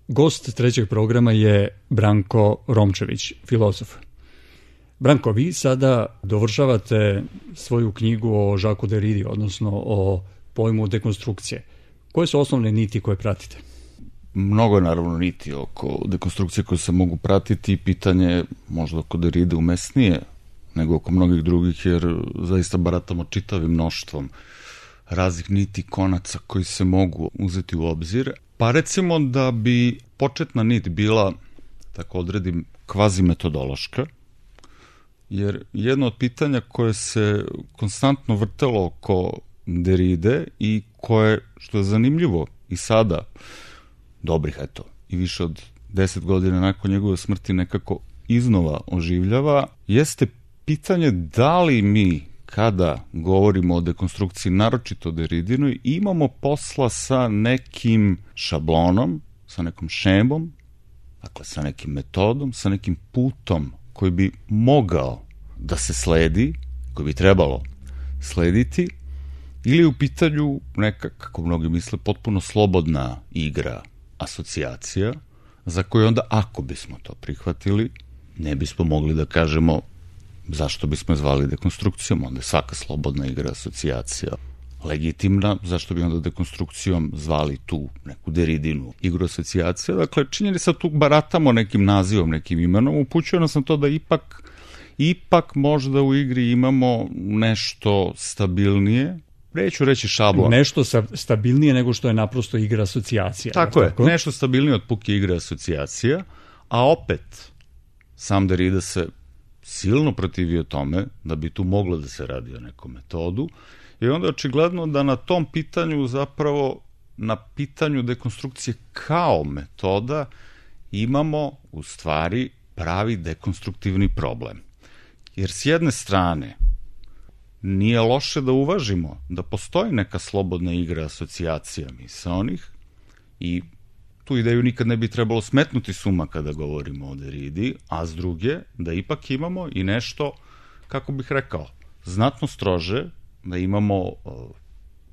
Gost trećeg programa je Branko Romčević, filozof. Branko, vi sada dovršavate svoju knjigu o Jacques Derridi, odnosno o pojmu dekonstrukcije. Koje su osnovne niti koje pratite? Mnogo je naravno niti oko dekonstrukcije koje se mogu pratiti i pitanje je možda oko Derride umesnije nego oko mnogih drugih, jer zaista baratamo čitavim mnoštvom raznih niti konaca koji se mogu uzeti u obzir. Pa recimo da bi početna nit bila, tako odredim, kvazi metodološka, jer jedno od pitanja koje se konstantno vrtelo oko Derride i koje, što je zanimljivo i sada, dobrih, i više od 10 godina nakon njegove smrti nekako iznova oživljava, jeste pitanje da li mi, kada govorimo o dekonstrukciji, naročito Derridinoj, imamo posla sa nekim šablonom, sa nekom šemom, dakle sa nekim metodom, sa nekim putom koji bi mogao da se sledi, koji bi trebalo slediti, ili u pitanju neka, kako mnogi misle, potpuno slobodna igra, asocijacija, za koju onda, ako bismo to prihvatili, ne bismo mogli da kažemo zašto bismo je zvali dekonstrukcijom, onda je svaka slobodna igra, asocijacija legitimna, zašto bi onda dekonstrukcijom zvali tu neku Derridinu igru asocijacija. Dakle, činjenica tu baratamo nekim nazivom, nekim imenom, upućuje nas na to da ipak možda u igri imamo nešto stabilnije, neću reći šablon. Nešto stabilnije nego što je naprosto igra asocijacija. Tako je, nešto stabilnije od puke igre asocijacija, a opet sam Derrida se silno protivio tome da bi tu moglo da se radi o nekom metodu i onda očigledno da na tom pitanju, zapravo na pitanju dekonstrukcije kao metoda, imamo u stvari pravi dekonstruktivni problem. Jer s jedne strane nije loše da uvažimo da postoji neka slobodna igra asocijacija misaonih i tu ideju nikad ne bi trebalo smetnuti s uma kada govorimo o Derridi, a s druge da ipak imamo i nešto, kako bih rekao, znatno strože, da imamo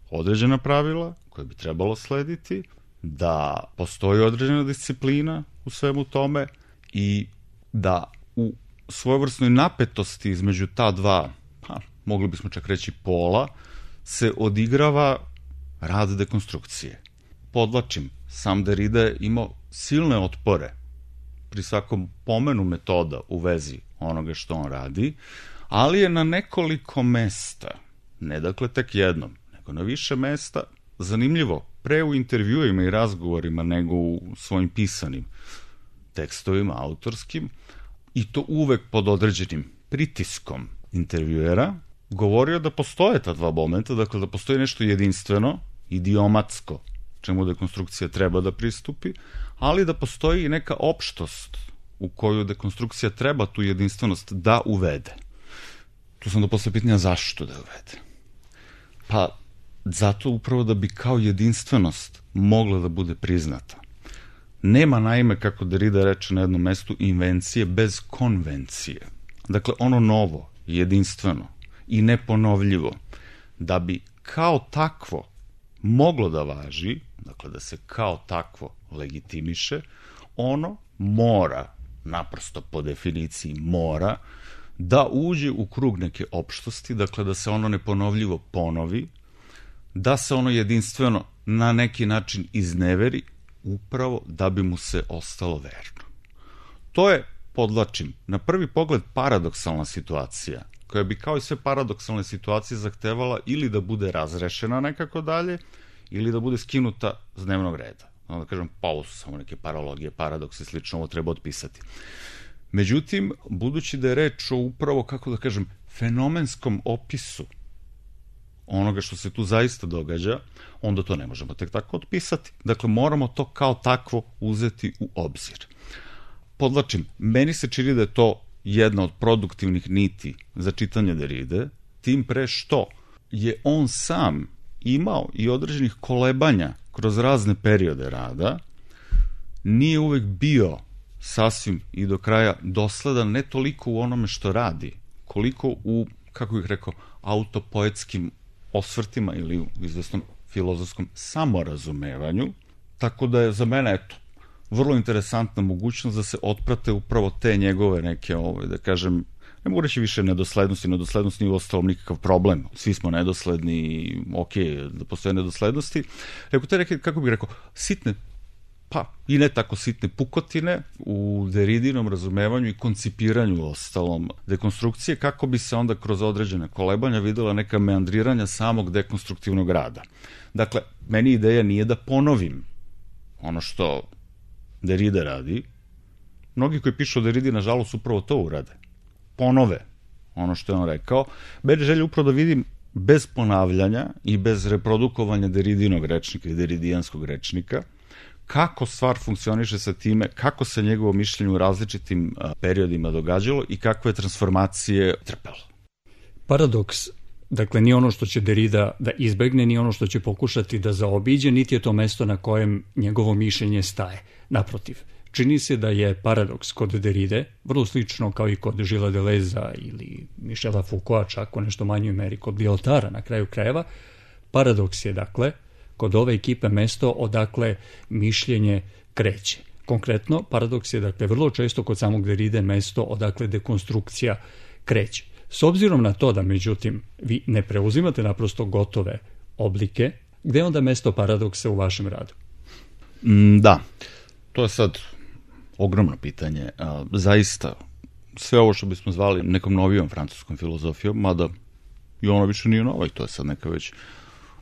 određena pravila koje bi trebalo slediti, da postoji određena disciplina u svemu tome i da u svojevrsnoj napetosti između ta dva, mogli bismo čak reći pola, se odigrava rad dekonstrukcije. Podlačim, sam Derrida je imao silne otpore pri svakom pomenu metoda u vezi onoga što on radi, ali je na nekoliko mesta, ne dakle tek jednom, nego na više mesta, zanimljivo, pre u intervjuima i razgovorima nego u svojim pisanim tekstovima, autorskim, i to uvek pod određenim pritiskom intervjuera, govorio da postoje ta dva momenta, dakle da postoji nešto jedinstveno, idiomatsko, čemu dekonstrukcija treba da pristupi, ali da postoji i neka opštost u koju dekonstrukcija treba tu jedinstvenost da uvede. Tu sam do posle pitanja zašto da uvede. Pa zato upravo da bi kao jedinstvenost mogla da bude priznata. Nema naime, kako Derrida reče na jednom mestu, invencije bez konvencije. Dakle, ono novo, jedinstveno i neponovljivo, da bi kao takvo moglo da važi, dakle da se kao takvo legitimiše, ono mora, naprosto po definiciji mora, da uđe u krug neke opštosti, dakle da se ono neponovljivo ponovi, da se ono jedinstveno na neki način izneveri, upravo da bi mu se ostalo verno. To je, podlačim, na prvi pogled paradoksalna situacija, koja bi kao i sve paradoksalne situacije zahtevala ili da bude razrešena nekako dalje, ili da bude skinuta s dnevnog reda. Da kažem, pa ovo su samo neke paralogije, paradokse i slično, ovo treba otpisati. Međutim, budući da je reč o upravo, kako da kažem, fenomenskom opisu onoga što se tu zaista događa, onda to ne možemo tek tako otpisati. Dakle, moramo to kao takvo uzeti u obzir. Podlačim, meni se čini da je to jedna od produktivnih niti za čitanje Derride, tim pre što je on sam imao i određenih kolebanja kroz razne periode rada, nije uvek bio sasvim i do kraja dosledan ne toliko u onome što radi, koliko u, kako bih rekao, autopoetskim osvrtima ili u izvesnom filozofskom samorazumevanju, tako da je za mene, eto, vrlo interesantna mogućnost da se otprate upravo te njegove neke, da kažem, ne mogu reći više nedoslednosti, nedoslednost nije uostalom nikakav problem, svi smo nedosledni, ok, da postoje nedoslednosti, nego te neke, kako bih rekao, sitne, pa i ne tako sitne pukotine u Derridinom razumevanju i koncipiranju ostalom dekonstrukcije, kako bi se onda kroz određene kolebanja videla neka meandriranja samog dekonstruktivnog rada. Dakle, meni ideja nije da ponovim ono što Derrida radi. Mnogi koji pišu o Derridi, nažalost, upravo to urade. Ponove ono što je on rekao. Meni želje upravo da vidim bez ponavljanja i bez reprodukovanja Derridinog rečnika i deridijanskog rečnika, kako stvar funkcioniše sa time, kako se njegovo mišljenje u različitim periodima događalo i kakve transformacije trpelo. Paradoks, dakle, nije ono što će Derrida da izbegne, nije ono što će pokušati da zaobiđe, niti je to mesto na kojem njegovo mišljenje staje. Naprotiv, čini se da je paradoks kod Derride, vrlo slično kao i kod Gilesa Deleuza ili Michela Foucaulta, čak u nešto manjoj meri kod Lyotara na kraju krajeva. Paradoks je, dakle, kod ove ekipe mesto odakle mišljenje kreće. Konkretno, paradoks je, dakle, vrlo često kod samog Derride mesto odakle dekonstrukcija kreće. S obzirom na to da, međutim, vi ne preuzimate naprosto gotove oblike, gde je onda mesto paradoksa u vašem radu? Da, to je sad ogromno pitanje. Zaista, sve ovo što bismo zvali nekom novijom francuskom filozofijom, mada i ono više nije nova, i to je sad neka već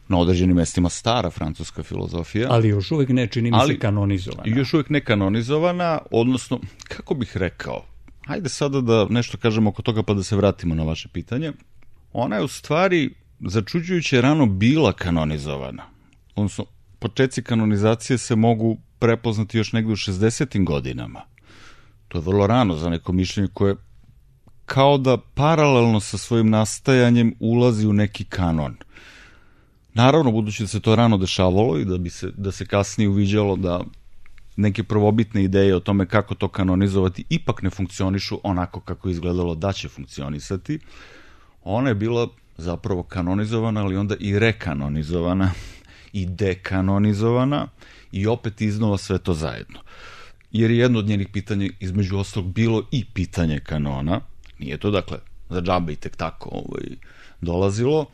na određenim mestima stara francuska filozofija. Ali još uvek ne, čini mi se, kanonizovana. Još uvek ne kanonizovana, odnosno, kako bih rekao, hajde sada da nešto kažemo oko toga pa da se vratimo na vaše pitanje. Ona je u stvari začuđujuće rano bila kanonizovana. Odnosno, početci kanonizacije se mogu prepoznati još negde u 60. godinama. To je vrlo rano za neko mišljenje koje kao da paralelno sa svojim nastajanjem ulazi u neki kanon. Naravno, budući da se to rano dešavalo i da se kasnije uviđalo da neke prvobitne ideje o tome kako to kanonizovati ipak ne funkcionišu onako kako je izgledalo da će funkcionisati, ona je bila zapravo kanonizovana, ali onda i rekanonizovana i dekanonizovana i opet iznova sve to zajedno. Jer je jedno od njenih pitanja, između ostalog, bilo i pitanje kanona. Nije to, dakle, za džabe i tek tako dolazilo.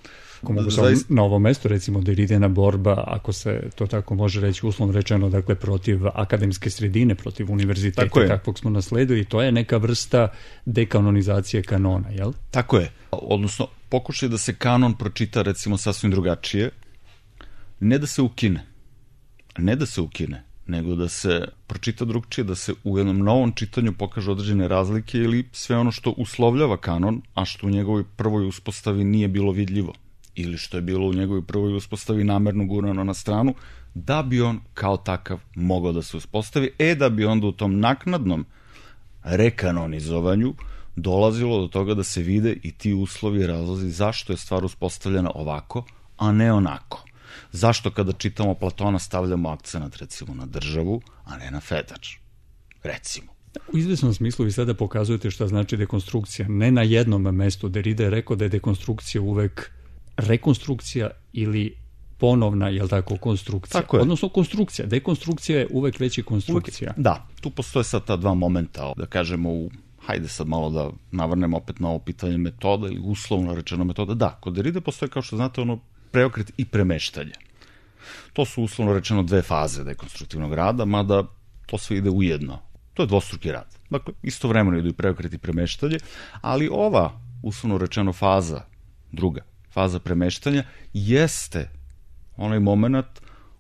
Ako mogu na ovo mesto, recimo, Derridina borba, ako se to tako može reći, uslovno rečeno, dakle, protiv akademske sredine, protiv univerziteta, kakvog smo nasledili, to je neka vrsta dekanonizacije kanona, jel? Tako je. Odnosno, pokušaj da se kanon pročita, recimo, sasvim drugačije, ne da se ukine, nego da se pročita drugčije, da se u jednom novom čitanju pokažu određene razlike ili sve ono što uslovljava kanon, a što u njegovoj prvoj uspostavi nije bilo vidljivo, ili što je bilo u njegovoj prvoj uspostavi namerno gurano na stranu, da bi on kao takav mogao da se uspostavi, da bi onda u tom naknadnom rekanonizovanju dolazilo do toga da se vide i ti uslovi i razlozi zašto je stvar uspostavljena ovako, a ne onako. Zašto kada čitamo Platona stavljamo akcenat, recimo, na državu, a ne na fedač, recimo. U izvesnom smislu vi sada pokazujete šta znači dekonstrukcija. Ne na jednom mestu. Derrida je rekao da je dekonstrukcija uvek rekonstrukcija ili ponovna, jel tako, konstrukcija. Tako je. Odnosno konstrukcija. Dekonstrukcija je uvek već i konstrukcija. Da, tu postoje sad ta dva momenta, da kažemo, hajde sad malo da navrnemo opet na ovo pitanje metoda ili uslovno rečeno metoda. Da, kod Derride postoje, kao što znate, preokret i premeštanje. To su uslovno rečeno dve faze dekonstruktivnog rada, mada to sve ide ujedno. To je dvostruki rad. Dakle, istovremeno idu i preokret i premeštanje, ali ova uslovno rečeno faza, druga faza premeštanja, jeste onaj moment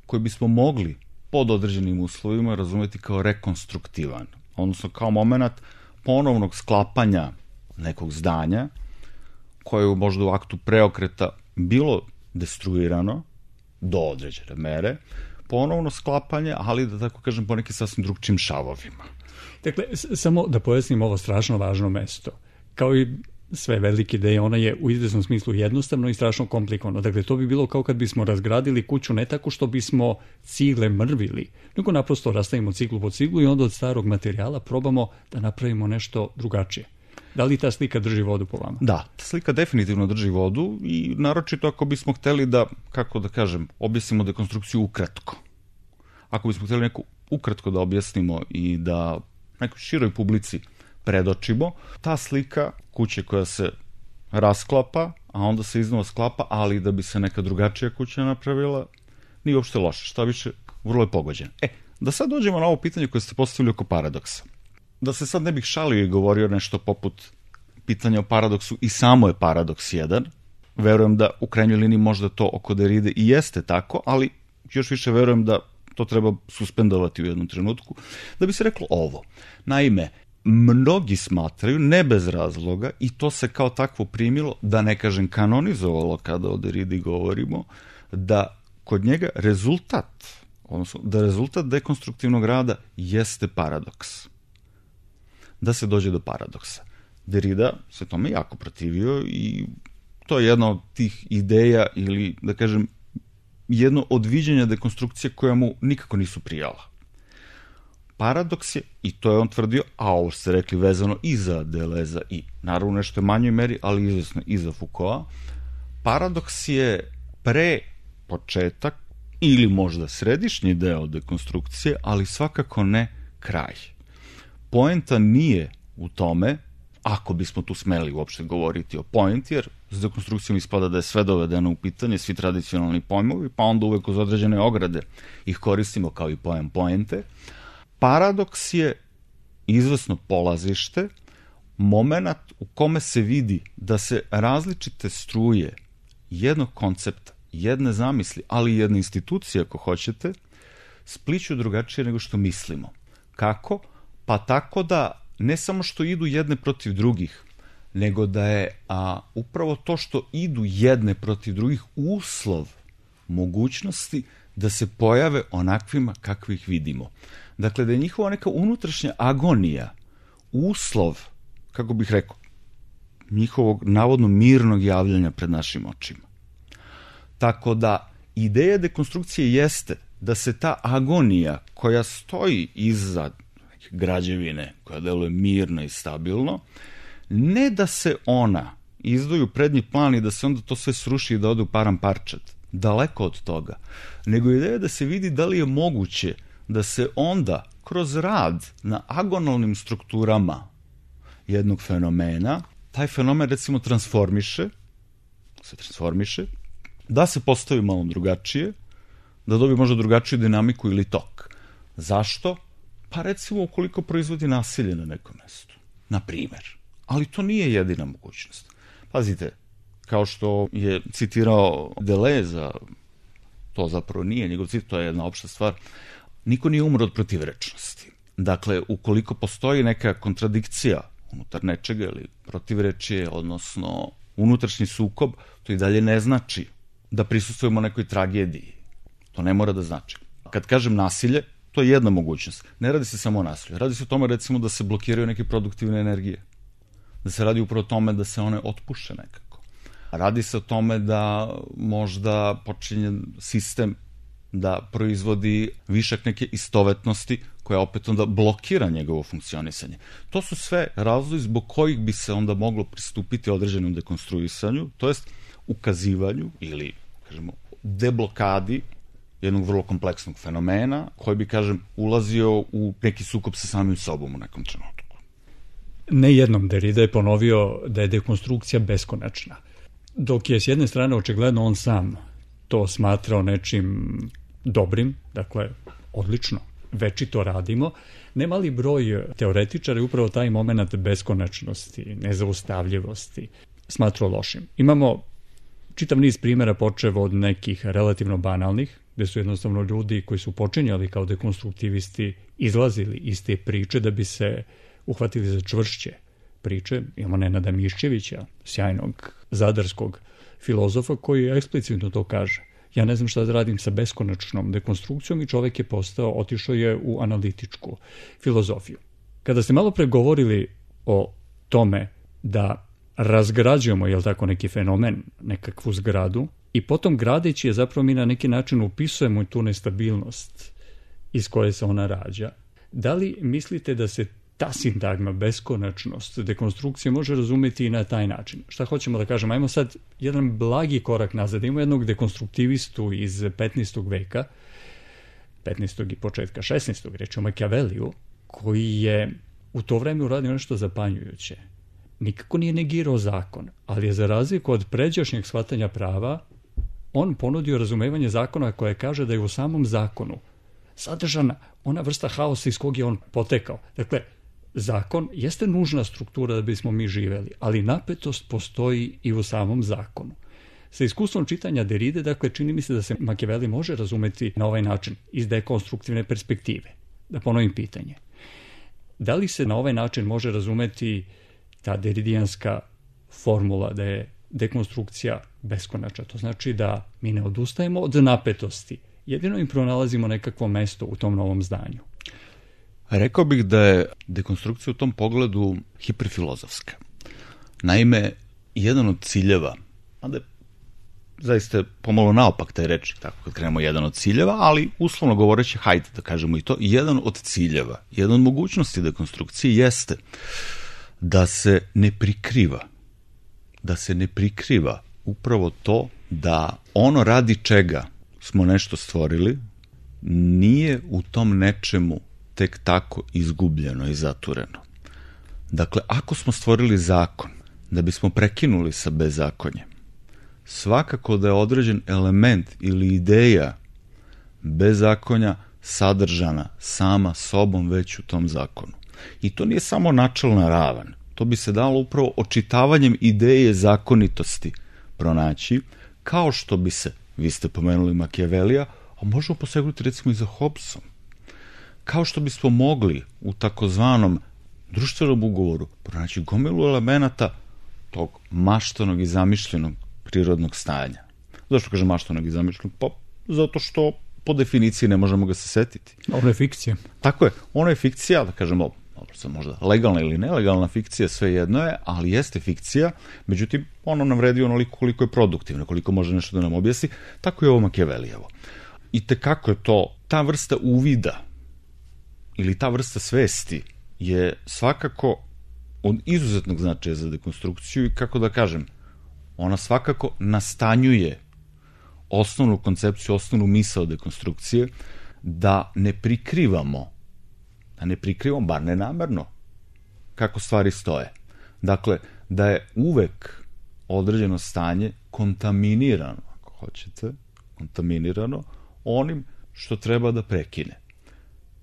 koji bismo mogli pod određenim uslovima razumeti kao rekonstruktivan. Odnosno kao moment ponovnog sklapanja nekog zdanja koje je možda u aktu preokreta bilo destruirano do određene mere, ponovno sklapanje, ali da tako kažem po nekim sasvim drugčim šavovima. Dakle, samo da pojasnim ovo strašno važno mesto. Kao i sve velike ideje, ona je u izvesnom smislu jednostavno i strašno komplikovano. Dakle, to bi bilo kao kad bismo razgradili kuću ne tako što bismo cigle mrvili, nego naprosto rastavimo ciglu po ciglu i onda od starog materijala probamo da napravimo nešto drugačije. Da li ta slika drži vodu po vama? Da, ta slika definitivno drži vodu i naročito ako bismo hteli da, kako da kažem, objasnimo dekonstrukciju ukratko. ako bismo htjeli neku ukratko da objasnimo i da nekoj široj publici predočimo, ta slika kuće koja se rasklapa, a onda se iznova sklapa, ali da bi se neka drugačija kuća napravila, nije uopšte loše, šta više, vrlo je pogođena. Da sad dođemo na ovo pitanje koje ste postavili oko paradoksa. Da se sad ne bih šalio i govorio nešto poput pitanja o paradoksu, i samo je paradoks jedan. Verujem da u krajnjoj liniji možda to oko Derride i jeste tako, ali još više verujem da to treba suspendovati u jednom trenutku, da bi se reklo ovo. Naime, mnogi smatraju, ne bez razloga, i to se kao takvo primilo, da ne kažem kanonizovalo kada o Derridi govorimo, da kod njega rezultat, odnosno da rezultat dekonstruktivnog rada jeste paradoks. Da se dođe do paradoksa. Derrida se tome jako protivio i to je jedna od tih ideja ili, da kažem, jedno od viđenja dekonstrukcije koja mu nikako nisu prijala. Paradoks je, i to je on tvrdio, a ovo ste rekli vezano i za Deleuze i naravno nešto je manjoj meri, ali izvesno i za Foucaulta, paradoks je pre početak ili možda središnji deo dekonstrukcije, ali svakako ne kraj. Poenta nije u tome, ako bismo tu smeli uopšte govoriti o poenti, jer s dekonstrukcijom ispada da je sve dovedeno u pitanje, svi tradicionalni pojmovi, pa onda uvek uz određene ograde ih koristimo kao i pojam poente. Paradoks je izvesno polazište, moment u kome se vidi da se različite struje jednog koncepta, jedne zamisli, ali i jedne institucije, ako hoćete, spliću drugačije nego što mislimo. Kako? Pa tako da ne samo što idu jedne protiv drugih, nego da je upravo to što idu jedne protiv drugih uslov mogućnosti da se pojave onakvima kakvih vidimo. Dakle, da je njihova neka unutrašnja agonija uslov, kako bih rekao, njihovog navodno mirnog javljanja pred našim očima. Tako da ideja dekonstrukcije jeste da se ta agonija koja stoji iza građevine, koja deluje mirno i stabilno, ne da se ona izdvoji u prednji plan i da se onda to sve sruši i da ode u param parčad, daleko od toga, nego ideja da se vidi da li je moguće da se onda kroz rad na agonalnim strukturama jednog fenomena, taj fenomen recimo transformiše, da se postavi malo drugačije, da dobije možda drugačiju dinamiku ili tok. Zašto? Pa recimo ukoliko proizvodi nasilje na nekom mestu, na primer. Ali to nije jedina mogućnost. Pazite, kao što je citirao Deleuze, to zapravo nije njegov citat, to je jedna opšta stvar, niko nije umro od protivrečnosti. Dakle, ukoliko postoji neka kontradikcija unutar nečega ili protivrečje, odnosno unutrašnji sukob, to i dalje ne znači da prisustvujemo nekoj tragediji. To ne mora da znači. Kad kažem nasilje, to je jedna mogućnost. Ne radi se samo o nasilju. Radi se o tome, recimo, da se blokiraju neke produktivne energije. Da se radi upravo o tome da se one otpuše nekako. Radi se o tome da možda počinje sistem da proizvodi višak neke istovetnosti koja opet onda blokira njegovo funkcionisanje. To su sve razlozi zbog kojih bi se onda moglo pristupiti određenom dekonstruisanju, to jest ukazivanju ili, kažemo, deblokadi jednog vrlo kompleksnog fenomena koji bi, kažem, ulazio u neki sukob sa samim sobom u nekom trenutku. Ne jednom Derrida je ponovio da je dekonstrukcija beskonačna. Dok je s jedne strane očigledno on sam to smatrao nečim dobrim, dakle, odlično, večito radimo, nemali broj teoretičara je upravo taj moment beskonačnosti, nezaustavljivosti smatrao lošim. Imamo čitav niz primjera počev od nekih relativno banalnih, gde su jednostavno ljudi koji su počinjali kao dekonstruktivisti izlazili iz te priče da bi se uhvatili za čvršće priče. Imamo Nenada Miščevića, sjajnog zadarskog filozofa koji eksplicitno to kaže. Ja ne znam šta da radim sa beskonačnom dekonstrukcijom i čovek je otišao je u analitičku filozofiju. Kada ste malo pre govorili o tome da razgrađujemo, jel tako, neki fenomen, nekakvu zgradu, i potom gradeći je zapravo mi na neki način upisujemo tu nestabilnost iz koje se ona rađa. Da li mislite da se ta sintagma, beskonačnost dekonstrukcije može razumeti i na taj način? Šta hoćemo da kažemo? Ajmo sad jedan blagi korak nazad. Imamo jednog dekonstruktivistu iz 15. veka 15. i početka 16. reč o Machiavelliju, koji je u to vreme uradio nešto zapanjujuće. Nikako nije negirao zakon, ali je za razliku od pređašnjeg shvatanja prava, on ponudio razumevanje zakona koje kaže da je u samom zakonu sadržana ona vrsta haosa iz kog je on potekao. Dakle, zakon jeste nužna struktura da bismo mi živeli, ali napetost postoji i u samom zakonu. Sa iskustvom čitanja Derride, dakle, čini mi se da se Machiavelli može razumeti na ovaj način, iz dekonstruktivne perspektive. Da ponovim pitanje. Da li se na ovaj način može razumeti ta deridijanska formula da je dekonstrukcija beskonačna? To znači da mi ne odustajemo od napetosti. Jedino im pronalazimo nekakvo mesto u tom novom zdanju. Rekao bih da je dekonstrukcija u tom pogledu hiperfilozofska. Naime, jedan od ciljeva, onda je zaista pomalo naopak taj reč, tako kad krenemo jedan od ciljeva, ali uslovno govoreći, hajde da kažemo i to, jedan od ciljeva, jedan od mogućnosti dekonstrukcije jeste da se ne prikriva upravo to da ono radi čega smo nešto stvorili nije u tom nečemu tek tako izgubljeno i zatureno. Dakle, ako smo stvorili zakon da bismo prekinuli sa bezakonjem, svakako da je određen element ili ideja bezakonja sadržana sama sobom već u tom zakonu. I to nije samo načelna ravan. To bi se dalo upravo očitavanjem ideje zakonitosti pronaći, kao što bi se, vi ste pomenuli Machiavellija, a možemo posegnuti recimo i za Hobbesom. Kao što bismo mogli u takozvanom društvenom ugovoru pronaći gomilu elemenata tog maštanog i zamišljenog prirodnog stanja. Zašto kažem maštanog i zamišljenog? Pa zato što po definiciji ne možemo ga se setiti. Ono je fikcija. Tako je, ono je fikcija, da kažemo, možda legalna ili nelegalna fikcija, sve jedno je, ali jeste fikcija, međutim, ono nam vredi onoliko koliko je produktivno, koliko može nešto da nam objasni, tako je ovo Machiavellijevo. I tekako je to, ta vrsta uvida ili ta vrsta svesti je svakako od izuzetnog značaja za dekonstrukciju i kako da kažem, ona svakako nastanjuje osnovnu koncepciju, osnovnu misao dekonstrukcije, da ne prikrivamo, bar ne namerno, kako stvari stoje. Dakle, da je uvek određeno stanje kontaminirano, ako hoćete, onim što treba da prekine.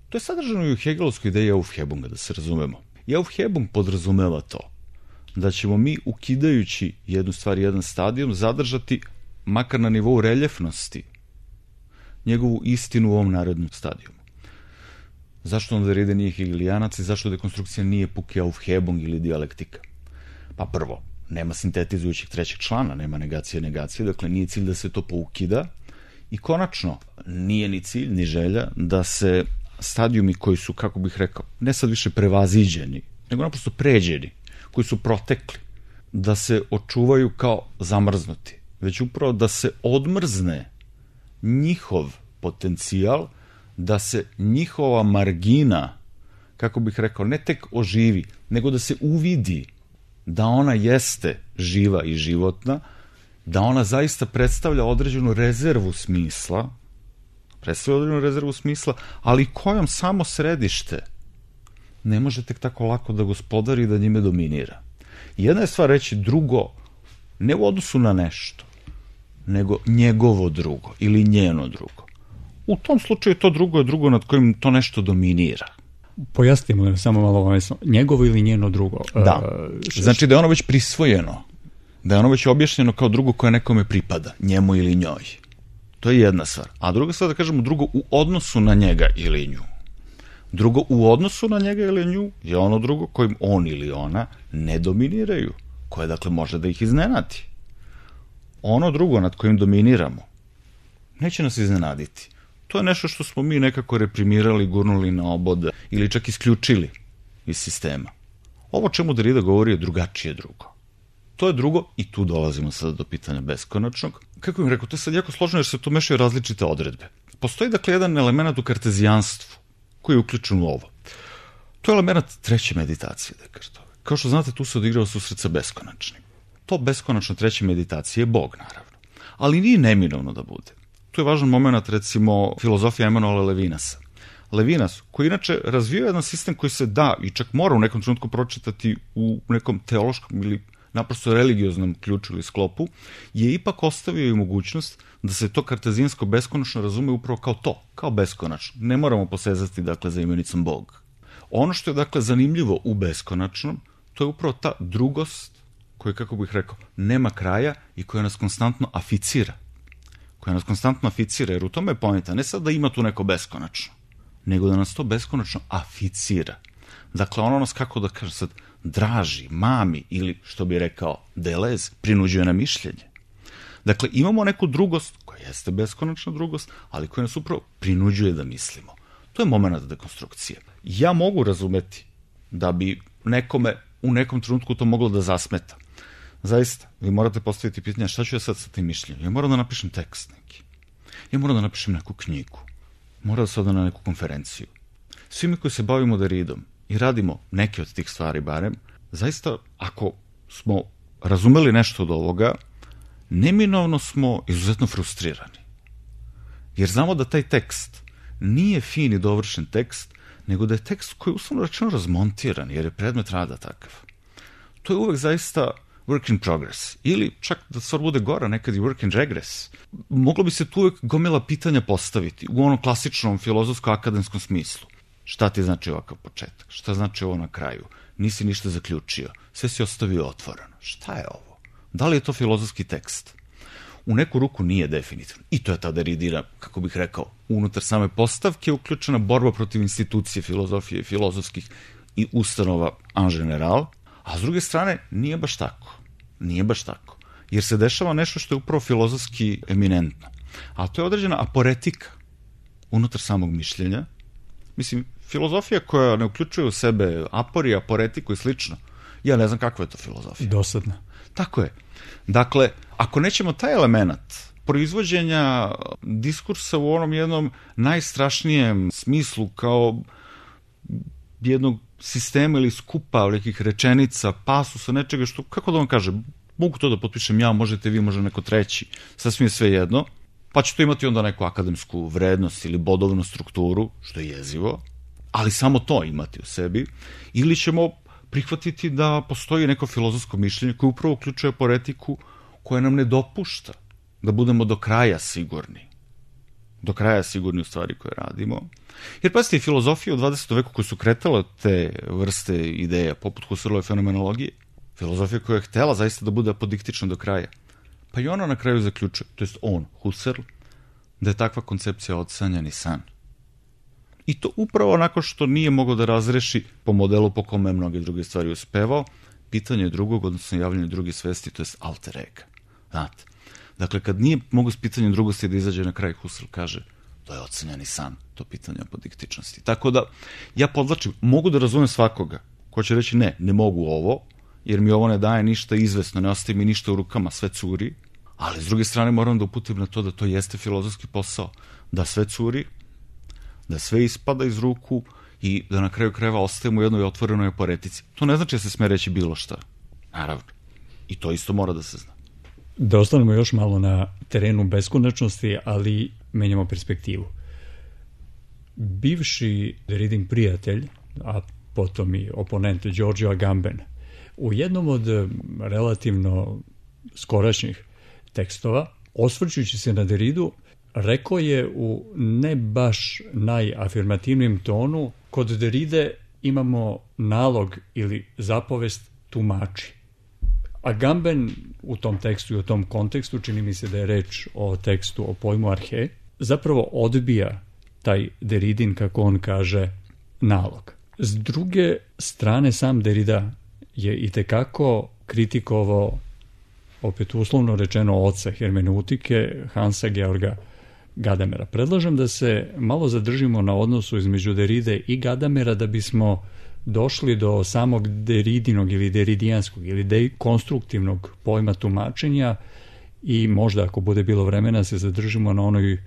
To je sadržano i u Hegelovskoj ideji Aufhebunga, da se razumemo. I Aufhebung podrazumeva to, da ćemo mi, ukidajući jednu stvar, jedan stadijum, zadržati, makar na nivou reljefnosti, njegovu istinu u ovom narednom stadijumu. Zašto onda Derrida nije hegelijanac i zašto dekonstrukcija nije puki Aufhebung ili dijalektika? Pa prvo, nema sintetizujućeg trećeg člana, nema negacije, dakle nije cilj da se to poukida i konačno nije ni cilj, ni želja da se stadijumi koji su, kako bih rekao, ne sad više prevaziđeni, nego naprosto pređeni, koji su protekli, da se očuvaju kao zamrznuti, već upravo da se odmrzne njihov potencijal, da se njihova margina, kako bih rekao, ne tek oživi, nego da se uvidi da ona jeste živa i životna, da ona zaista predstavlja određenu rezervu smisla, ali kojom samo središte ne može tek tako lako da gospodari i da njime dominira. Jedna je stvar reći drugo, ne u odnosu na nešto, nego njegovo drugo ili njeno drugo. U tom slučaju to drugo je drugo nad kojim to nešto dominira. Pojasnimo samo malo ovesno. Njegovo ili njeno drugo? Da. Znači da je ono već prisvojeno, da je ono već objašnjeno kao drugo koje nekome pripada, njemu ili njoj. To je jedna stvar. A druga stvar, da kažemo, drugo u odnosu na njega ili nju. Drugo u odnosu na njega ili nju je ono drugo kojim on ili ona ne dominiraju, koje dakle može da ih iznenadi. Ono drugo nad kojim dominiramo neće nas iznenaditi. To je nešto što smo mi nekako reprimirali, gurnuli na obod ili čak isključili iz sistema. Ovo čemu Derrida govori je drugačije drugo. To je drugo i tu dolazimo sada do pitanja beskonačnog. Kako bih rekao, to je sad jako složeno jer se tu mešaju različite odredbe. Postoji dakle jedan element u kartezijanstvu koji je uključen u ovo. To je element treće meditacije, Descartove. Kao što znate, tu se odigrao susret sa beskonačnim. To beskonačno treće meditacije je Bog, naravno. Ali nije neminovno da bude. Tu je važan moment, recimo, filozofija Emanuela Levinasa. Levinas, koji inače razvio jedan sistem koji se da i čak mora u nekom trenutku pročitati u nekom teološkom ili naprosto religioznom ključu ili sklopu, je ipak ostavio i mogućnost da se to kartezijsko beskonačno razume upravo kao to, kao beskonačno. Ne moramo posezati, dakle, za imenicom Bog. Ono što je, dakle, zanimljivo u beskonačnom, to je upravo ta drugost koja, kako bih rekao, nema kraja i koja nas konstantno aficira. Jer u tome je poenta, ne sad da ima tu neko beskonačno, nego da nas to beskonačno aficira. Dakle, ono nas, kako da kažem sad, draži, mami ili, što bi rekao Deleuze, prinuđuje na mišljenje. Dakle, imamo neku drugost, koja jeste beskonačna drugost, ali koja nas upravo prinuđuje da mislimo. To je moment dekonstrukcije. Ja mogu razumeti da bi nekome u nekom trenutku to moglo da zasmeta. Zaista, vi morate postaviti pitanje šta ću ja sad sa tim mišljenjem. Ja moram da napišem tekst neki. Ja moram da napišem neku knjigu. Moram da se odam na neku konferenciju. Svi mi koji se bavimo Derridom i radimo neke od tih stvari barem, zaista, ako smo razumeli nešto od ovoga, neminovno smo izuzetno frustrirani. Jer znamo da taj tekst nije fin i dovršen tekst, nego da je tekst koji je uslovno rečeno razmontiran, jer je predmet rada takav. To je uvek zaista work in progress. Ili, čak da stvar bude gora, nekad i work in regress. Moglo bi se tu uvek gomila pitanja postaviti u onom klasičnom filozofsko-akademskom smislu. Šta ti znači ovakav početak? Šta znači ovo na kraju? Nisi ništa zaključio. Sve si ostavio otvoreno. Šta je ovo? Da li je to filozofski tekst? U neku ruku nije definitivno. I to je ta Derridina, kako bih rekao, unutar same postavke uključena borba protiv institucije filozofije i filozofskih i ustanova en general, a s druge strane nije baš tako. Nije baš tako. Jer se dešava nešto što je upravo filozofski eminentno. A to je određena aporetika unutar samog mišljenja. Mislim, filozofija koja ne uključuje u sebe apori, aporetiku i slično, ja ne znam kakva je to filozofija. Dosadna. Tako je. Dakle, ako nećemo taj element proizvođenja diskursa u onom jednom najstrašnijem smislu kao jednog sistema ili skupa nekih rečenica, pasusa, nečega što, kako da vam kažem, mogu to da potpišem ja, možete vi, može neko treći, sasvim je sve jedno, pa će to imati onda neku akademsku vrednost ili bodovnu strukturu, što je jezivo, ali samo to imati u sebi, ili ćemo prihvatiti da postoji neko filozofsko mišljenje koje upravo uključuje aporetiku koja nam ne dopušta da budemo do kraja sigurni. Do kraja sigurni u stvari koje radimo. Jer pazite, filozofije u 20. veku koje su kretale te vrste ideja, poput Husserlove fenomenologije, filozofija koja je htela zaista da bude apodiktična do kraja. Pa i ona na kraju zaključuje, to jest on, Husserl, da je takva koncepcija odsanjani san. I to upravo onako što nije mogao da razreši po modelu po kome je mnoge druge stvari uspevao, pitanje drugog, odnosno javljanje drugih svesti, to je alter ega. Znate, dakle, kad nije mogo s pitanjem drugosti da izađe na kraj, Husserl kaže, to je odsanjani san, to pitanje apodiktičnosti. Tako da, ja podlačim, mogu da razumem svakoga, ko će reći ne mogu ovo, jer mi ovo ne daje ništa izvesno, ne ostaje mi ništa u rukama, sve curi, ali s druge strane moram da uputim na to da to jeste filozofski posao, da sve curi, da sve ispada iz ruku i da na kraju krajeva ostajemo u jednoj otvorenoj aporetici. To ne znači da se sme reći bilo šta. Naravno. I to isto mora da se zna. Da ostanemo još malo na terenu beskonačnosti, ali menjamo perspektivu. Bivši Derridin prijatelj, a potom i oponent Giorgio Agamben, u jednom od relativno skorašnjih tekstova, osvrćući se na Derridu, rekao je u ne baš najafirmativnijem tonu, kod Derride imamo nalog ili zapovest tumači. Agamben u tom tekstu i u tom kontekstu, čini mi se da je reč o tekstu o pojmu arhe, zapravo odbija taj Derridin, kako on kaže, nalog. S druge strane, sam Derrida je itekako kritikovao, opet uslovno rečeno, oca hermeneutike Hansa Georga Gadamera. Predlažem da se malo zadržimo na odnosu između Derride i Gadamera da bismo došli do samog Derridinog ili deridijanskog ili dekonstruktivnog pojma tumačenja i možda, ako bude bilo vremena, se zadržimo na onoj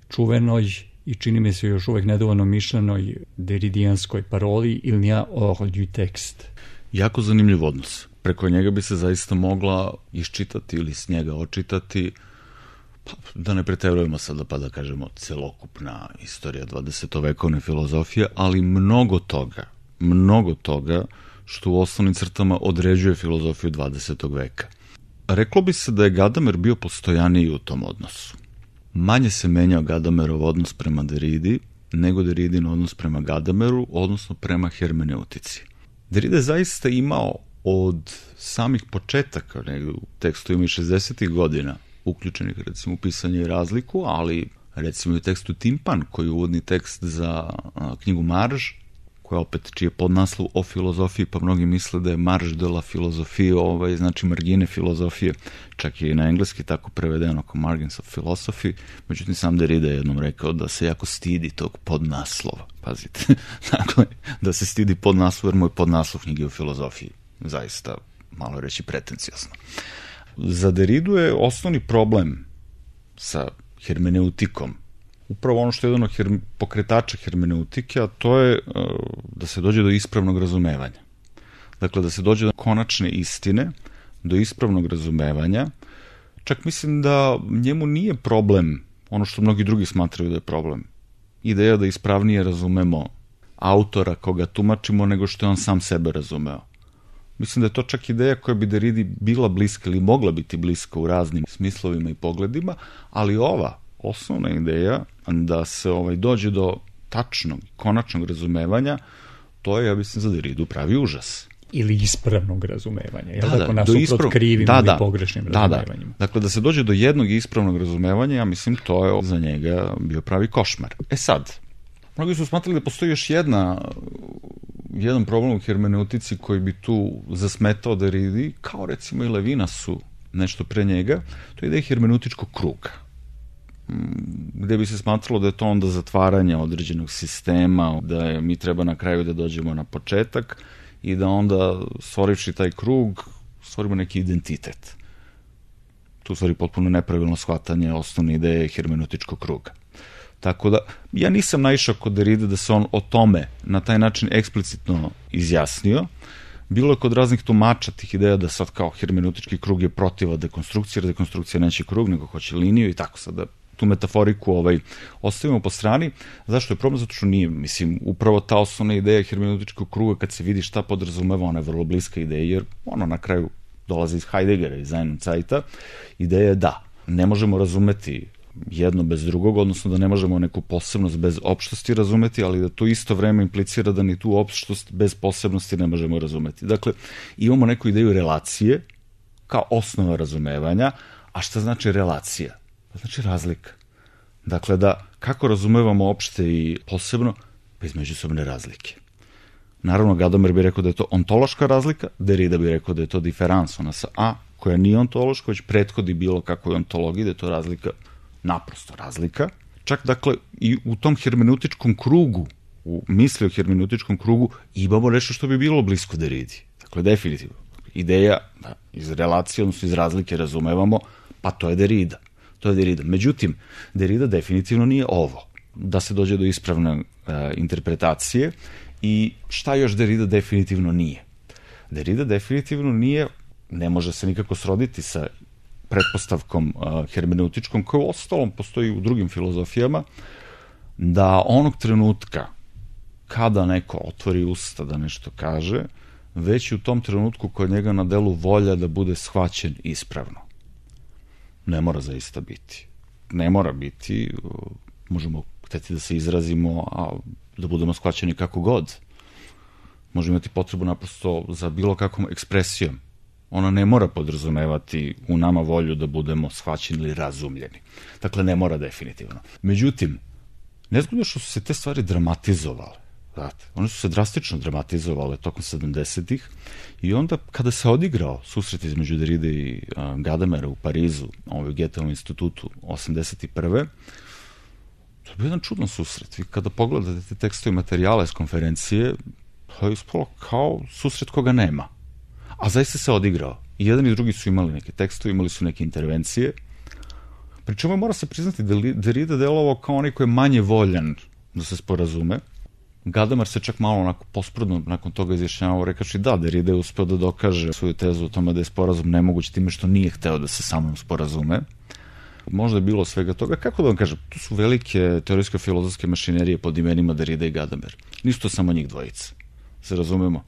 čuvenoj i čini mi se još uvek nedovoljno mišljenoj deridijanskoj paroli il n'y a hors du texte. Jako zanimljiv odnos. Preko njega bi se zaista mogla iščitati ili s njega očitati pa, da ne preterujemo sada pa da kažemo celokupna istorija 20-vekovne filozofije, ali mnogo toga što u osnovnim crtama određuje filozofiju 20. veka. Reklo bi se da je Gadamer bio postojaniji u tom odnosu. Manje se menjao Gadamerov odnos prema Derridi nego Derridin odnos prema Gadameru, odnosno prema hermeneutici. Derrida je zaista imao od samih početaka, u tekstovima iz 60. godina, uključenih recimo u pisanje i razliku, ali recimo i u tekstu Timpan, koji je uvodni tekst za knjigu Marž, koja opet čije podnaslov o filozofiji, pa mnogi misle da je Marž de la filozofije, znači margine filozofije, čak je i na engleski tako prevedeno kao Margins of Philosophy, međutim sam Derrida je jednom rekao da se jako stidi tog podnaslova, pazite, dakle, da se stidi podnaslov, jer moj podnaslov knjige o filozofiji, zaista, malo reći, pretencijosno. Za Derridu je osnovni problem sa hermeneutikom upravo ono što je jedan od pokretača hermeneutike, a to je da se dođe do ispravnog razumevanja. Dakle, da se dođe do konačne istine, do ispravnog razumevanja. Čak mislim da njemu nije problem ono što mnogi drugi smatraju da je problem. Ideja da ispravnije razumemo autora koga tumačimo nego što je on sam sebe razumeo. Mislim da je to čak ideja koja bi Derridi bila bliska ili mogla biti bliska u raznim smislovima i pogledima, ali ova osnovna ideja da se dođe do tačnog, konačnog razumevanja, to je, ja mislim, za Derridu pravi užas. Ili ispravnog razumevanja, jel tako, nasuprot krivim ili pogrešnim razumevanjima. Dakle, da se dođe do jednog ispravnog razumevanja, ja mislim, to je za njega bio pravi košmar. Sad, mnogi su smatrali da postoji još jedan problem u hermeneutici koji bi tu zasmetao Derridi, kao recimo i Levinasu nešto pre njega, to je ideja hermeneutičkog kruga, gde bi se smatralo da je to onda zatvaranje određenog sistema, da mi treba na kraju da dođemo na početak i da onda, stvorivši taj krug, stvorimo neki identitet. Tu stvari potpuno nepravilno shvatanje osnovne ideje hermeneutičkog kruga. Tako da, ja nisam naišao kod Derride da se on o tome na taj način eksplicitno izjasnio. Bilo je kod raznih tumača tih ideja da sad kao hermeneutički krug je protiva dekonstrukcije, jer dekonstrukcija neće krug, nego hoće liniju i tako sad da tu metaforiku ostavimo po strani. Zašto je problem? Zato što nije, mislim, upravo ta osnovna ideja hermeneutičkog kruga, kad se vidi šta podrazumeva, ona je vrlo bliska ideja, jer ono na kraju dolazi iz Heideggera, iz Einzeita. Ideja je da ne možemo razumeti jedno bez drugog, odnosno da ne možemo neku posebnost bez opštosti razumeti, ali da to isto vreme implicira da ni tu opštost bez posebnosti ne možemo razumeti. Dakle, imamo neku ideju relacije kao osnova razumevanja, a šta znači relacija? Znači razlika. Dakle, da kako razumevamo opšte i posebno, bez međusobne razlike. Naravno, Gadamer bi rekao da je to ontološka razlika, Derrida bi rekao da je to diferans, ona sa A, koja nije ontološka, već prethodi bilo kakvoj ontologiji, da je to razlika, naprosto razlika. Čak, dakle, i u tom hermeneutičkom krugu, u misli o hermeneutičkom krugu, imamo nešto što bi bilo blisko Derridi. Dakle, definitivno. Ideja da iz relacije, odnosno iz razlike razumevamo, pa to je Derrida. Međutim, Derrida definitivno nije ovo. Da se dođe do ispravne interpretacije i šta još Derrida definitivno nije. Derrida definitivno nije, ne može se nikako sroditi sa pretpostavkom hermeneutičkom, koja u ostalom postoji u drugim filozofijama, da onog trenutka kada neko otvori usta da nešto kaže, već u tom trenutku kod njega na delu volja da bude shvaćen ispravno. Ne mora zaista biti. Ne mora biti, možemo hteti da se izrazimo, a da budemo shvaćeni kako god. Možemo imati potrebu naprosto za bilo kakvom ekspresijom. Ona ne mora podrazumevati u nama volju da budemo shvaćeni ili razumljeni. Dakle, ne mora definitivno. Međutim, nezgodno što su se te stvari dramatizovale. Znate, one su se drastično dramatizovale tokom 70-ih i onda kada se odigrao susret između Derride i Gadamera u Parizu, u Goetheovom institutu 81. To je bio jedan čudan susret. Vi kada pogledate te tekstove i materijale s konferencije, to je ispalo kao susret koga nema. A zaista se odigrao. I jedan i drugi su imali neke tekstove, imali su neke intervencije. Pričemu mora se priznati da Derrida delovao kao onaj koji je manje voljan da se sporazume. Gadamer se čak malo onako posprdno nakon toga izjašnjavao, rekaši da, Derrida je uspeo da dokaže svoju tezu o tome da je sporazum nemoguć time što nije hteo da se sa mnom sporazume. možda je bilo svega toga. Kako da vam kažem, tu su velike teorijsko-filozofske mašinerije pod imenima Derrida i Gadamer. Nisu to samo njih dvojica, se razumemo.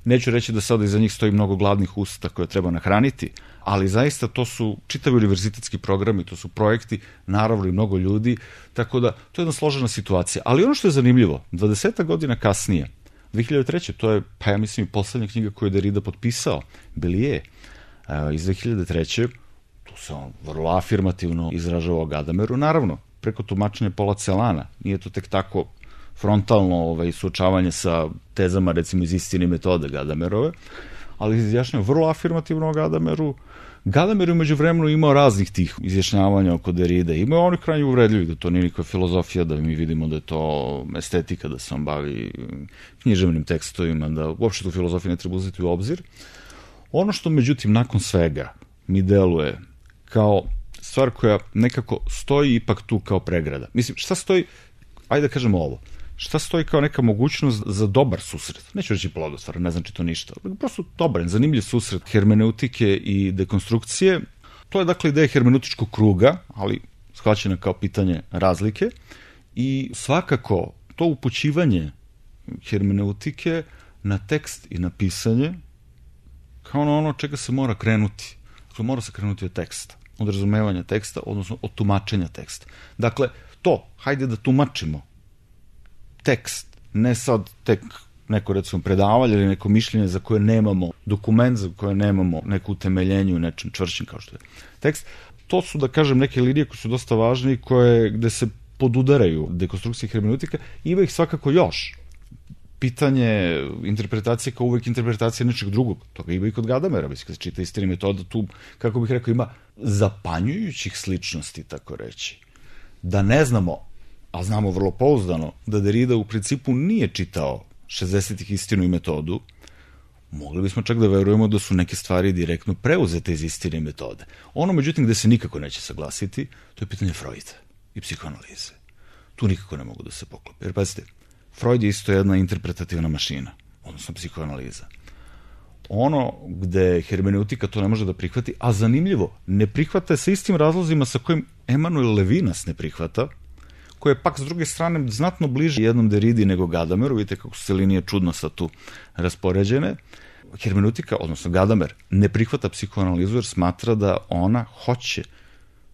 Neću reći da sada iza njih stoji mnogo gladnih usta koje treba nahraniti, ali zaista to su čitavi univerzitetski programi, to su projekti, naravno i mnogo ljudi, tako da to je jedna složena situacija. Ali ono što je zanimljivo, 20 godina kasnije, 2003. to je, pa ja mislim, i poslednja knjiga koju je Derrida potpisao, Belije, iz 2003. tu se on vrlo afirmativno izražava o Gadameru, naravno, preko tumačenja Paula Celana, nije to tek tako frontalno suočavanje sa tezama, recimo, iz Istine i metode Gadamerove, ali izjašnjava vrlo afirmativno o Gadameru. Gadamer je umeđu vremenu imao raznih tih izjašnjavanja oko Derride. Imao onih krajnje uvredljivih, da to nije nikakva filozofija, da mi vidimo da je to estetika, da se on bavi književnim tekstovima, da uopšte tu filozofiju ne treba uzeti u obzir. Ono što, međutim, nakon svega mi deluje kao stvar koja nekako stoji ipak tu kao pregrada. Mislim, šta stoji, ajde da kažemo ovo, šta stoji kao neka mogućnost za dobar susret? Neću reći plodotvoran, ne znači to ništa. Prosto dobar, zanimljiv susret hermeneutike i dekonstrukcije. To je dakle ideja hermeneutičkog kruga, ali shvaćena kao pitanje razlike. I svakako to upućivanje hermeneutike na tekst i na pisanje kao ono čega se mora krenuti. Dakle, mora se krenuti od teksta, od razumevanja teksta, odnosno od tumačenja teksta. Dakle, to, hajde da tumačimo tekst, ne sad tek neko, recimo, predavanje ili neko mišljenje za koje nemamo dokument, za koje nemamo neko utemeljenje u nečem čvršćem kao što je tekst. To su, da kažem, neke linije koje su dosta važne i gde se podudaraju dekonstrukcije hermeneutika. Ima ih svakako još. Pitanje interpretacije kao uvek interpretacija nečeg drugog. Toga ima i kod Gadamera, mislim, kada se čita Istina i metoda, tu, kako bih rekao, ima zapanjujućih sličnosti, tako reći. Da ne znamo, a znamo vrlo pouzdano, da Derrida u principu nije čitao 60-ih Istinu i metodu, mogli bismo čak da verujemo da su neke stvari direktno preuzete iz Istine i metode. Ono, međutim, gde se nikako neće saglasiti, to je pitanje Freuda i psihoanalize. Tu nikako ne mogu da se poklope. Jer, pazite, Freud je isto jedna interpretativna mašina, odnosno psihoanaliza. Ono gde hermeneutika to ne može da prihvati, a zanimljivo, ne prihvata sa istim razlozima sa kojim Emanuel Levinas ne prihvata, koje je pak s druge strane znatno bliže jednom Derridi nego Gadameru. Vidite kako su se linije čudno sad tu raspoređene. Hermeneutika, odnosno Gadamer, ne prihvata psihoanalizu jer smatra da ona hoće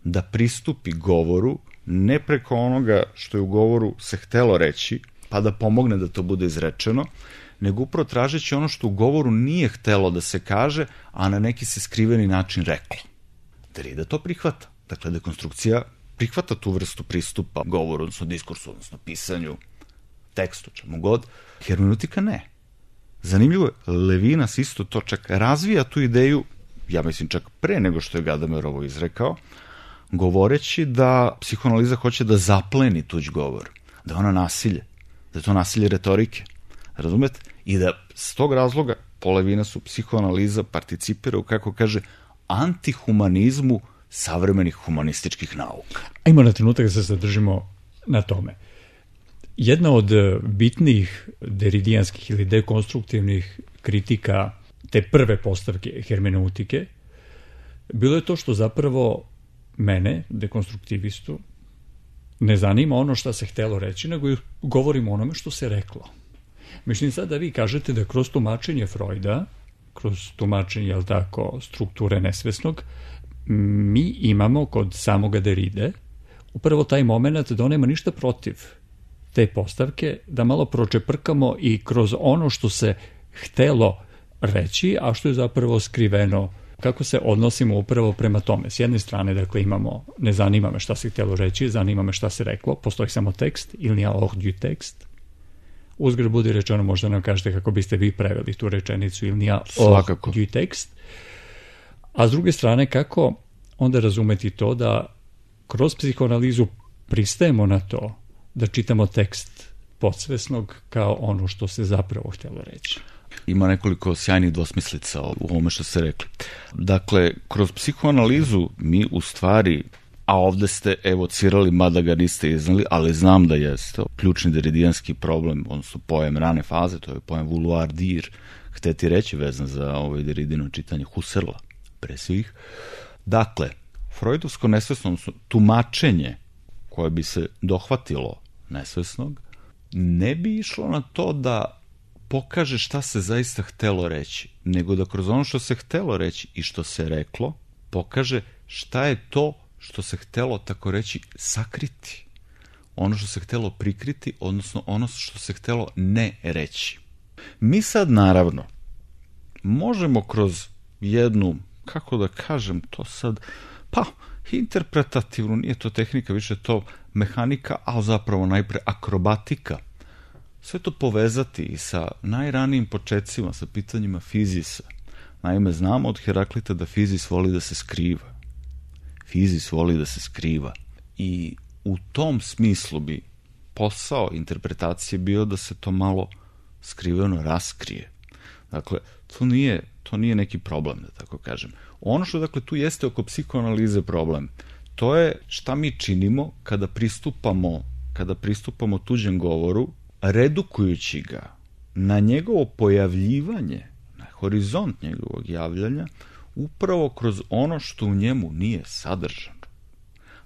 da pristupi govoru ne preko onoga što je u govoru se htelo reći, pa da pomogne da to bude izrečeno, nego upravo tražeći ono što u govoru nije htelo da se kaže, a na neki se skriveni način reklo. Derrida to prihvata. Dakle, dekonstrukcija prihvata tu vrstu pristupa govoru, odnosno diskursu, odnosno pisanju, tekstu, čemu god. Hermeneutika ne. Zanimljivo je, Levinas isto to čak razvija tu ideju, ja mislim čak pre nego što je Gadamer ovo izrekao, govoreći da psihoanaliza hoće da zapleni tuđ govor, da je ona nasilje, da je to nasilje retorike, razumete? I da s tog razloga po Levinasu psihoanaliza participira u, kako kaže, antihumanizmu savremenih humanističkih nauka. Ajmo na trenutak da se zadržimo na tome. Jedna od bitnih deridijanskih ili dekonstruktivnih kritika te prve postavke hermeneutike bilo je to što zapravo mene, dekonstruktivistu, ne zanima ono što se htelo reći, nego govorimo o onome što se reklo. Mislim sad da vi kažete da kroz tumačenje Freuda, kroz tumačenje, jel tako, strukture nesvesnog, mi imamo kod samoga Derride upravo taj moment da on nema ništa protiv te postavke, da malo pročeprkamo i kroz ono što se htelo reći, a što je zapravo skriveno, kako se odnosimo upravo prema tome. S jedne strane, dakle, imamo, ne zanima me šta se htelo reći, zanima me šta se reklo, postoji samo tekst, il n'y a hors du tekst. Uzgred budi rečeno, možda nam kažete kako biste vi preveli tu rečenicu, il n'y a hors du tekst. A s druge strane, kako onda razumeti to da kroz psihoanalizu pristajemo na to da čitamo tekst podsvesnog kao ono što se zapravo htjelo reći? Ima nekoliko sjajnih dvosmislica u ovome što ste rekli. Dakle, kroz psihoanalizu mi u stvari, a ovde ste evocirali, mada ga niste iznali, ali znam da jeste, ključni deridijanski problem, odnosno pojem rane faze, to je pojem vouloir dire, hteti reći vezan za ovo Derridino čitanje Husserla, pre svih. Dakle, Freudovsko nesvesno, odnosno tumačenje koje bi se dohvatilo nesvesnog, ne bi išlo na to da pokaže šta se zaista htelo reći, nego da kroz ono što se htelo reći i što se reklo, pokaže šta je to što se htelo, tako reći, sakriti. Ono što se htelo prikriti, odnosno ono što se htelo ne reći. Mi sad, naravno, možemo kroz jednu, kako da kažem to sad, pa, interpretativnu, nije to tehnika, više to mehanika, a zapravo najpre akrobatika, sve to povezati i sa najranijim početcima, sa pitanjima fizisa. Naime, znamo od Heraklita da fizis voli da se skriva. Fizis voli da se skriva. I u tom smislu bi posao interpretacije bio da se to malo skriveno raskrije. Dakle, to nije neki problem, da tako kažem. Ono što, dakle, tu jeste oko psihoanalize problem, to je šta mi činimo kada pristupamo tuđem govoru, redukujući ga na njegovo pojavljivanje, na horizont njegovog javljanja, upravo kroz ono što u njemu nije sadržano.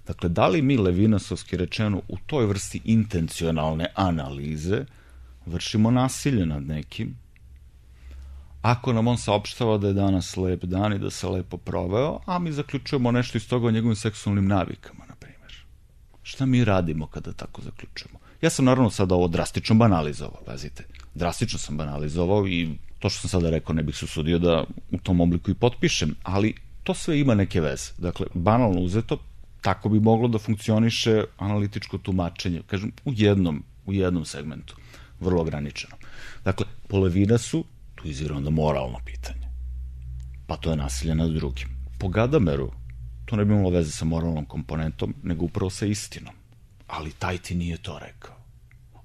Dakle, da li mi, levinasovski rečeno, u toj vrsti intencionalne analize vršimo nasilje nad nekim, ako nam on saopštava da je danas lep dan i da se lepo proveo, a mi zaključujemo nešto iz toga o njegovim seksualnim navikama, na primjer. Šta mi radimo kada tako zaključujemo? Ja sam naravno sada ovo drastično banalizovao, pazite. Drastično sam banalizovao i to što sam sada rekao ne bih se usudio da u tom obliku i potpišem, ali to sve ima neke veze. Dakle, banalno uzeto, tako bi moglo da funkcioniše analitičko tumačenje, kažem, u jednom segmentu, vrlo ograničeno. Dakle, po Levinasu, tu izvira onda moralno pitanje. Pa to je nasilje nad drugim. Po Gadameru, to ne bi imalo veze sa moralnom komponentom, nego upravo sa istinom. Ali taj ti nije to rekao.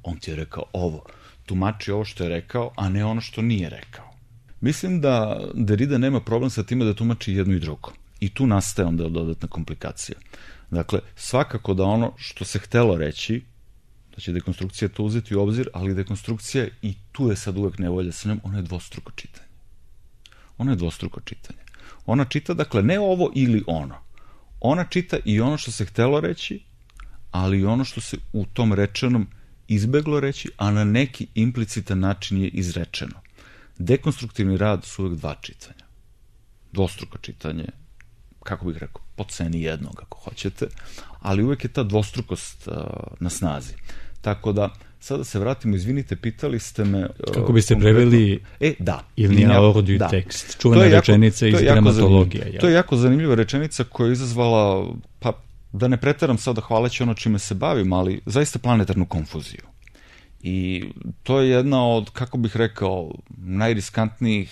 On ti je rekao ovo. Tumači ovo što je rekao, a ne ono što nije rekao. Mislim da Derrida nema problem sa time da tumači jedno i drugo. I tu nastaje onda dodatna komplikacija. Dakle, svakako da ono što se htelo reći, da će dekonstrukcija to uzeti u obzir, ali dekonstrukcija, i tu je sad uvek nevolja sa njom, ona je dvostruko čitanje. Ona čita, dakle, ne ovo ili ono. Ona čita i ono što se htelo reći, ali i ono što se u tom rečenom izbeglo reći, a na neki implicitan način je izrečeno. Dekonstruktivni rad su uvek dva čitanja. Dvostruko čitanje, kako bih rekao, po ceni jednog, ako hoćete, ali uvek je ta dvostrukost na snazi. Tako da, sada se vratimo, izvinite, pitali ste me... Kako biste preveli da. Il n'y a hors du tekst. Čuvena rečenica iz gramatologije. To je jako zanimljiva rečenica koja je izazvala, pa da ne preteram sada hvaleći ono čime se bavim, ali zaista planetarnu konfuziju. I to je jedna od, kako bih rekao, najriskantnijih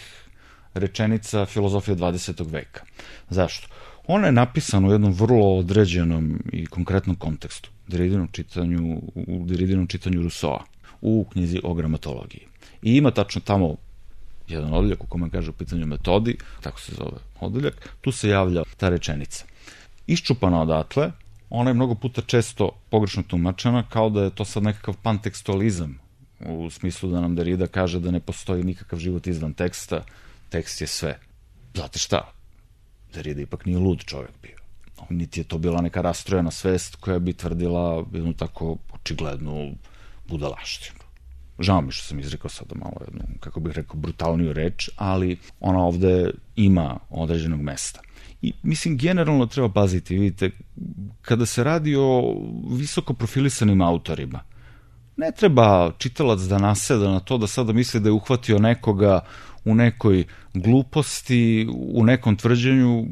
rečenica filozofije 20. veka. Zašto? Ona je napisana u jednom vrlo određenom i konkretnom kontekstu, u Derridinom čitanju Rousseau-a, u knjizi o gramatologiji. I ima tačno tamo jedan odeljak u kome kaže u pitanju metodi, tako se zove odeljak, tu se javlja ta rečenica. Iščupana odatle, ona je mnogo puta često pogrešno tumačena, kao da je to sad nekakav pantekstualizam, u smislu da nam Derrida kaže da ne postoji nikakav život izvan teksta, tekst je sve. Znate šta? Derrida ipak nije lud čovjek bio. Niti je to bila neka rastrojena svest koja bi tvrdila jednu tako očiglednu budalaštinu. Žao mi što sam izrekao sada malo jednu, kako bih rekao, brutalniju reč, ali ona ovde ima određenog mesta. I mislim, generalno treba paziti, vidite, kada se radi o visoko profilisanim autorima, ne treba čitalac da naseda na to da sada misli da je uhvatio nekoga u nekoj gluposti, u nekom tvrđenju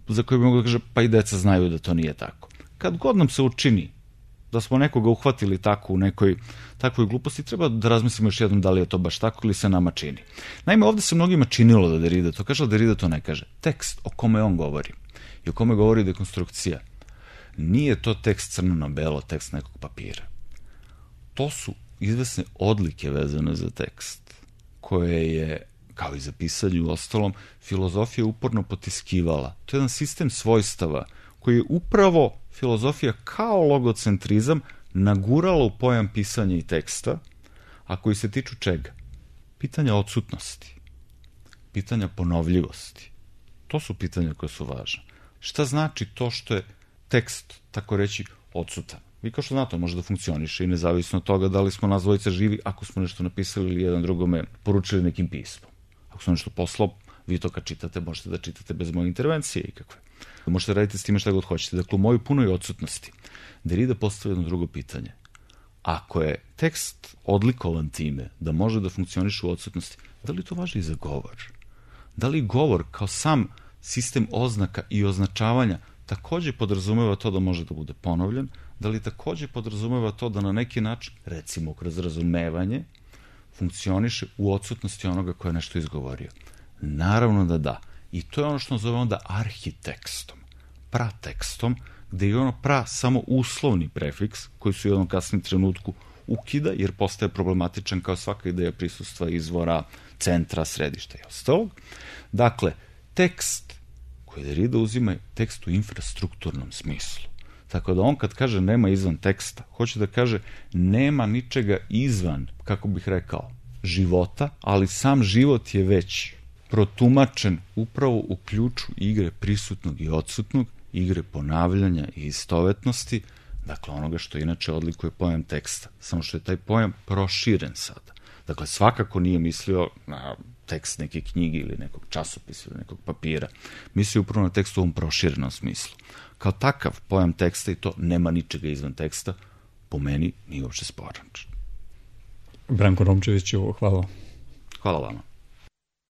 za koje bi mogu da kaže, pa i deca znaju da to nije tako. Kad god nam se učini da smo nekoga uhvatili tako u nekoj takvoj gluposti, treba da razmislimo još jednom da li je to baš tako ili se nama čini. Naime, ovde se mnogima činilo da Derrida to kaže, ali Derrida to ne kaže. Tekst o kome on govori i o kome govori dekonstrukcija, nije to tekst crno na belo, tekst nekog papira. To su izvesne odlike vezane za tekst, koje je, kao i za pisanje u ostalom, filozofija uporno potiskivala. To je jedan sistem svojstava koji je upravo filozofija kao logocentrizam nagurala u pojam pisanja i teksta, a koji se tiču čega? Pitanja odsutnosti, pitanja ponovljivosti. To su pitanja koje su važne. Šta znači to što je tekst, tako reći, odsutan? Vi kao što znate, može da funkcioniše i nezavisno od toga da li smo nas dvojica živi, ako smo nešto napisali ili jedan drugome poručili nekim pismom. Ako smo nešto poslao, vi to kad čitate, možete da čitate bez moje intervencije ikakve. Možete raditi s time šta god hoćete. Dakle, u mojoj punoj odsutnosti Derrida postavlja jedno drugo pitanje. Ako je tekst odlikovan time da može da funkcioniše u odsutnosti, da li to važi i za govor? Da li govor kao sam sistem oznaka i označavanja takođe podrazumeva to da može da bude ponovljen? Da li takođe podrazumeva to da na neki način, recimo kroz razumevanje, funkcioniše u odsutnosti onoga ko je nešto izgovorio? Naravno da da. I to je ono što nazovemo onda arhitekstom, pratekstom, gde je ono pra samo uslovni prefiks koji se u jednom kasnim trenutku ukida jer postaje problematičan kao svaka ideja prisustva izvora, centra, središta i ostalog. Dakle, tekst koji Derrida uzima je tekst u infrastrukturnom smislu. Tako da on kad kaže nema izvan teksta, hoće da kaže nema ničega izvan, kako bih rekao, života, ali sam život je već protumačen upravo u ključu igre prisutnog i odsutnog, igre ponavljanja i istovetnosti, dakle onoga što inače odlikuje pojam teksta, samo što je taj pojam proširen sada. Dakle, svakako nije mislio na tekst neke knjige ili nekog časopisa ili nekog papira. Mislio upravo na tekst u ovom proširenom smislu. Kao takav pojam teksta i to nema ničega izvan teksta, po meni nije uopšte sporan. Branko Romčeviću, hvala. Hvala vama.